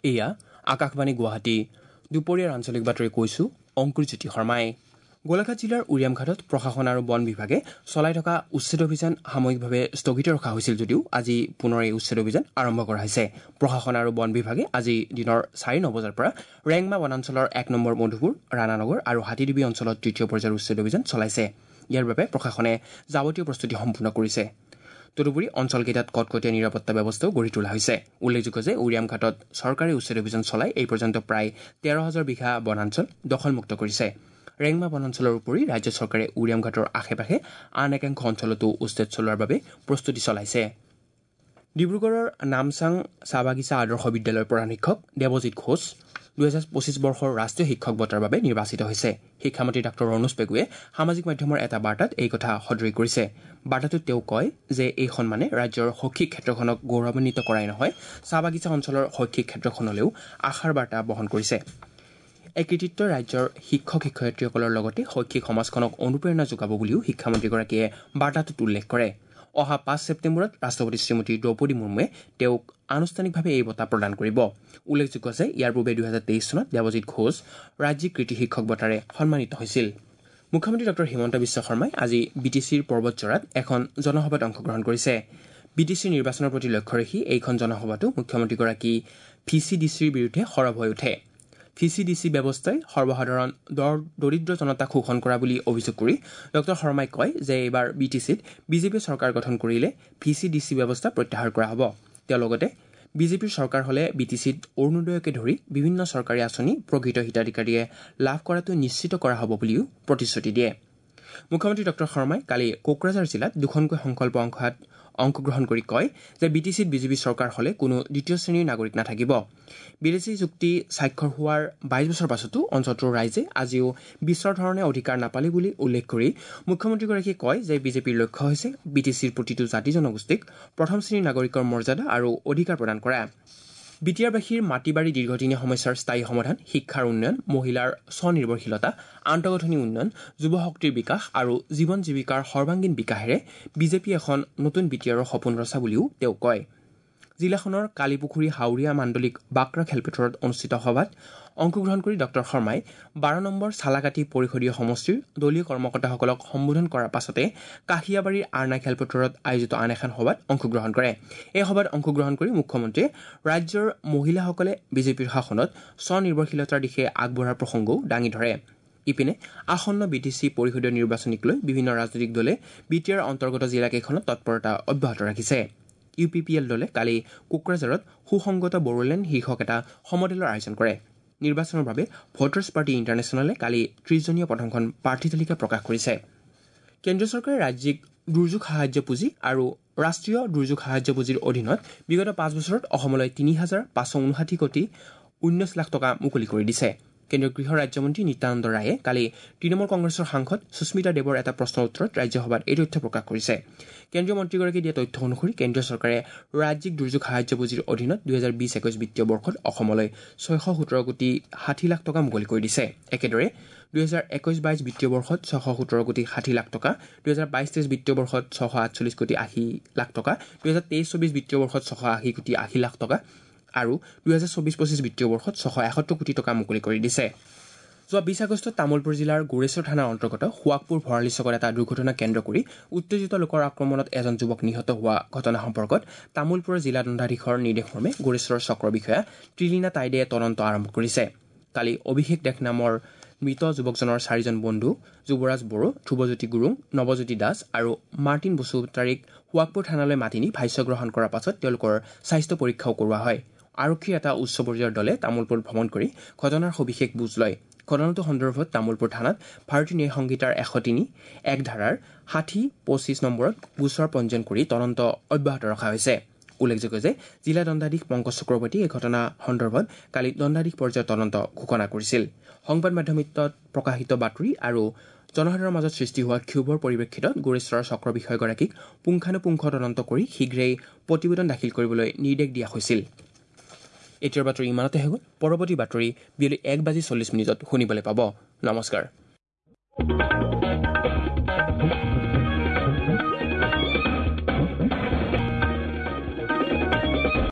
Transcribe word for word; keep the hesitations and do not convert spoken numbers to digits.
এয়া আকাশবাণী গুৱাহাটী। দুপৰীয়াৰ আঞ্চলিক বাতৰি কৈছো অংকুৰজ্যোতি শৰ্মাই। গোলাঘাট জিলাৰ উৰিয়ামঘাটত প্ৰশাসন আৰু বন বিভাগে চলাই থকা উচ্ছেদ অভিযান সাময়িকভাৱে স্থগিত ৰখা হৈছিল যদিও আজি পুনৰ এই উচ্ছেদ অভিযান আৰম্ভ কৰা হৈছে। প্ৰশাসন আৰু বন বিভাগে আজি দিনৰ চাৰি নবজাৰ পৰা ৰেংমা বনাঞ্চলৰ এক নম্বৰ মধুপুৰ, ৰাণানগৰ আৰু হাতীডুবি অঞ্চলত তৃতীয় পৰ্যায়ৰ উচ্ছেদ অভিযান চলাইছে। ইয়াৰ বাবে প্ৰশাসনে যাৱতীয় প্ৰস্তুতি সম্পূৰ্ণ কৰিছে। তদুপৰি অঞ্চলকেইটাত কটকটীয়া নিৰাপত্তা ব্যৱস্থাও গঢ়ি তোলা হৈছে। উল্লেখযোগ্য যে উৰিয়ামঘাটত চৰকাৰী উচ্ছেদ অভিযান চলাই এই পৰ্যন্ত প্ৰায় তেৰ হাজাৰ বিঘা বনাঞ্চল দখলমুক্ত কৰিছে। ৰেংমা বনাঞ্চলৰ উপৰি ৰাজ্য চৰকাৰে উৰিয়ামঘাটৰ আশে পাশে আন একাংশ অঞ্চলতো উচ্ছেদ চলোৱাৰ বাবে প্ৰস্তুতি চলাইছে। ডিব্ৰুগড়ৰ নামচাং চাহ বাগিচা আদৰ্শ বিদ্যালয়ৰ প্ৰধান শিক্ষক দেৱজিৎ ঘোষ দুহেজাৰ পঁচিছ বৰ্ষৰ ৰাষ্ট্ৰীয় শিক্ষক বঁটাৰ বাবে নিৰ্বাচিত হৈছে। শিক্ষামন্ত্ৰী ডাঃ ৰণোজ পেগুৱে সামাজিক মাধ্যমৰ এটা বাৰ্তাত এই কথা সদৰি কৰিছে। বাৰ্তাটোত তেওঁ কয় যে এই সন্মানে ৰাজ্যৰ শৈক্ষিক ক্ষেত্ৰখনক গৌৰৱান্বিত কৰাই নহয়, চাহ বাগিচা অঞ্চলৰ শৈক্ষিক ক্ষেত্ৰখনলৈও আশাৰ বাৰ্তা বহন কৰিছে। এই কৃতিত্বই ৰাজ্যৰ শিক্ষক শিক্ষয়িত্ৰীসকলৰ লগতে শৈক্ষিক সমাজখনক অনুপ্ৰেৰণা যোগাব বুলিও শিক্ষামন্ত্ৰীগৰাকীয়ে বাৰ্তাটোত উল্লেখ কৰে। অহা পাঁচ ছেপ্টেম্বৰত ৰাষ্ট্ৰপতি শ্ৰীমতী দ্ৰৌপদী মুৰ্মুৱে তেওঁক আনুষ্ঠানিকভাৱে এই বঁটা প্ৰদান কৰিব। উল্লেখযোগ্য যে ইয়াৰ পূৰ্বে দুহেজাৰ তেইছ চনত দেৱজিৎ ঘোষ ৰাজ্যিক কৃতি শিক্ষক বঁটাৰে সন্মানিত হৈছিল। মুখ্যমন্ত্ৰী ডঃ হিমন্ত বিশ্ব শৰ্মাই আজি বি টি চিৰ পৰ্বতঝৰাত এখন জনসভাত অংশগ্ৰহণ কৰিছে। বি টি চিৰ নিৰ্বাচনৰ প্ৰতি লক্ষ্য ৰাখি এইখন জনসভাতো মুখ্যমন্ত্ৰীগৰাকী ভি চি ডি চিৰ বিৰুদ্ধে সৰব হৈ উঠে। ভি চি ডি চি ব্যৱস্থাই সৰ্বসাধাৰণ দৰিদ্ৰ জনতাক শোষণ কৰা বুলি অভিযোগ কৰি ডঃ শৰ্মাই কয় যে এইবাৰ বি টি চিত বিজেপিয়ে চৰকাৰ গঠন কৰিলে ভি চি ডি চি ব্যৱস্থা প্ৰত্যাহাৰ কৰা হ'ব। তেওঁ লগতে বিজেপিৰ চৰকাৰ হ'লে বি টি চিত অৰুণোদয়কে ধৰি বিভিন্ন চৰকাৰী আঁচনি প্ৰকৃত হিতাধিকাৰীয়ে লাভ কৰাটো নিশ্চিত কৰা হ'ব বুলিও প্ৰতিশ্ৰুতি দিয়ে। মুখ্যমন্ত্ৰী ডঃ শৰ্মাই কালি কোকৰাঝাৰ জিলাত দুখনকৈ সংকল্প অংশত অংশগ্ৰহণ কৰি কয় যে বি টি চিত বিজেপি চৰকাৰ হ'লে কোনো দ্বিতীয় শ্ৰেণীৰ নাগৰিক নাথাকিব। বিদেশী চুক্তি স্বাক্ষৰ হোৱাৰ বাইছ বছৰ পাছতো অঞ্চলটোৰ ৰাইজে আজিও বিশ্বৰ ধৰণে অধিকাৰ নাপালে বুলি উল্লেখ কৰি মুখ্যমন্ত্ৰীগৰাকীয়ে কয় যে বিজেপিৰ লক্ষ্য হৈছে বি টি চিৰ প্ৰতিটো জাতি জনগোষ্ঠীক প্ৰথম শ্ৰেণীৰ নাগৰিকৰ মৰ্যাদা আৰু অধিকাৰ প্ৰদান কৰা। বি টি আৰবাসীৰ মাটি বাৰী দীৰ্ঘদিনীয়া সমস্যাৰ স্থায়ী সমাধান, শিক্ষাৰ উন্নয়ন, মহিলাৰ স্বনিৰ্ভৰশীলতা, আন্তঃগাঁথনি উন্নয়ন, যুৱ শক্তিৰ বিকাশ আৰু জীৱন জীৱিকাৰ সৰ্বাংগীন বিকাশেৰে বিজেপি এখন নতুন বি টি আৰৰ সপোন ৰচা বুলিও তেওঁ কয়। জিলাখনৰ কালিপুখুৰী হাউৰীয়া মাণ্ডলিক বাক্ৰা খেলপথাৰত অনুষ্ঠিত সভাত অংশগ্ৰহণ কৰি ডঃ শৰ্মাই বাৰ নম্বৰ চালাকাটি পৰিষদীয় সমষ্টিৰ দলীয় কৰ্মকৰ্তাসকলক সম্বোধন কৰাৰ পাছতে কাশিয়াবাৰীৰ আৰনা খেলপথাৰত আয়োজিত আন এখন সভাত অংশগ্ৰহণ কৰে। এই সভাত অংশগ্ৰহণ কৰি মুখ্যমন্ত্ৰীয়ে ৰাজ্যৰ মহিলাসকলে বিজেপিৰ শাসনত স্বনিৰ্ভৰশীলতাৰ দিশে আগবঢ়াৰ প্ৰসংগও দাঙি ধৰে। ইপিনে আসন্ন বি টি চি পৰিষদীয় নিৰ্বাচনক লৈ বিভিন্ন ৰাজনৈতিক দলে বি টি আৰ অন্তৰ্গত জিলাকেইখনত তৎপৰতা অব্যাহত ৰাখিছে। ইউ পি পি এল দলে কালি কোকৰাঝাৰত সুসংগত বড়োলেণ্ড শীৰ্ষক এটা সমদলৰ আয়োজন কৰে। নিৰ্বাচনৰ বাবে ভোটাৰ্ছ পাৰ্টি ইণ্টাৰনেশ্যনেলে কালি ত্ৰিশজনীয় প্ৰথমখন প্ৰাৰ্থী তালিকা প্ৰকাশ কৰিছে। কেন্দ্ৰীয় চৰকাৰে ৰাজ্যিক দুৰ্যোগ সাহায্য পুঁজি আৰু ৰাষ্ট্ৰীয় দুৰ্যোগ সাহায্য পুঁজিৰ অধীনত বিগত পাঁচ বছৰত অসমলৈ তিনি হাজাৰ পাঁচশ ঊনষাঠি কোটি ঊনৈছ লাখ টকা মুকলি কৰি দিছে। কেন্দ্ৰীয় গৃহ ৰাজ্যমন্ত্ৰী নিত্যানন্দ ৰায়ে কালি তৃণমূল কংগ্ৰেছৰ সাংসদ সুস্মিতা দেৱৰ এটা প্ৰশ্নৰ উত্তৰত ৰাজ্যসভাত এই তথ্য প্ৰকাশ কৰিছে। কেন্দ্ৰীয় মন্ত্ৰীগৰাকীয়ে দিয়া তথ্য অনুসৰি কেন্দ্ৰীয় চৰকাৰে ৰাজ্যিক দুৰ্যোগ সাহায্য পুঁজিৰ অধীনত দুহেজাৰ বিছ একৈছ বিত্তীয় বৰ্ষত অসমলৈ ছয়শ সোতৰ কোটি ষাঠি লাখ টকা মুকলি কৰি দিছে। একেদৰে দুহেজাৰ একৈছ বাইছ বিত্তীয় বৰ্ষত ছশ সোতৰ কোটি ষাঠি লাখ টকা, দুহেজাৰ বাইছ তেইছ বিত্তীয় বৰ্ষত ছশ আঠচল্লিছ কোটি আশী লাখ টকা, দুহেজাৰ তেইছ চৌবিছ বিত্তীয় বৰ্ষত ছশ আশী কোটি আশী লাখ টকা আৰু দুহেজাৰ চৌবিছ পঁচিছ বিত্তীয় বৰ্ষত ছশ এসত্তৰ কোটি টকা মুকলি কৰি দিছে। যোৱা বিছ আগষ্টত তামুলপুৰ জিলাৰ গোৰেশ্বৰ থানাৰ অন্তৰ্গত সোৱাগপুৰ ভৰালী চকত এটা দুৰ্ঘটনা কেন্দ্ৰ কৰি উত্তেজিত লোকৰ আক্ৰমণত এজন যুৱক নিহত হোৱা ঘটনা সম্পৰ্কত তামুলপুৰৰ জিলা দণ্ডাধীশৰ নিৰ্দেশমৰ্মে গোৰেশ্বৰৰ চক্ৰ বিষয়া ত্ৰিলীনা টাইডে তদন্ত আৰম্ভ কৰিছে। কালি অভিষেক দেশ নামৰ মৃত যুৱকজনৰ চাৰিজন বন্ধু যুৱৰাজ বড়ো, ধ্ৰুৱজ্যোতি গুৰুং, নৱজ্যোতি দাস আৰু মাৰ্টিন বসুমতাৰীক সোৱাগপুৰ থানালৈ মাতি নি ভাষ্য গ্ৰহণ কৰাৰ পাছত তেওঁলোকৰ স্বাস্থ্য পৰীক্ষাও কৰোৱা হয়। আৰক্ষীৰ এটা উচ্চ পৰ্যায়ৰ দলে তামুলপুৰ ভ্ৰমণ কৰি ঘটনাৰ সবিশেষ বুজ লয়। ঘটনাটো সন্দৰ্ভত তামুলপুৰ থানাত ভাৰতীয় ন্যায় সংহিতাৰ এশ তিনি এক ধাৰাৰ ষাঠি পঁচিছ নম্বৰত গোচৰ পঞ্জীয়ন কৰি তদন্ত অব্যাহত ৰখা হৈছে। উল্লেখযোগ্য যে জিলা দণ্ডাধীশ পংকজ চক্ৰৱৰ্তীয়ে এই ঘটনা সন্দৰ্ভত কালি দণ্ডাধীশ পৰ্যায়ৰ তদন্ত ঘোষণা কৰিছিল। সংবাদ মাধ্যমত প্ৰকাশিত বাতৰি আৰু জনসাধাৰণৰ মাজত সৃষ্টি হোৱা ক্ষোভৰ পৰিপ্ৰেক্ষিতত গোৰেশ্বৰৰ চক্ৰ বিষয়াগৰাকীক পুংখানুপুংখ তদন্ত কৰি শীঘ্ৰেই প্ৰতিবেদন দাখিল কৰিবলৈ নিৰ্দেশ দিয়া হৈছিল। এতিয়াৰ বাতৰি ইমানতে হৈ গ'ল। পৰৱৰ্তী বাতৰি বিয়লি এক বাজি চল্লিছ মিনিটত শুনিবলৈ পাব। নমস্কাৰ।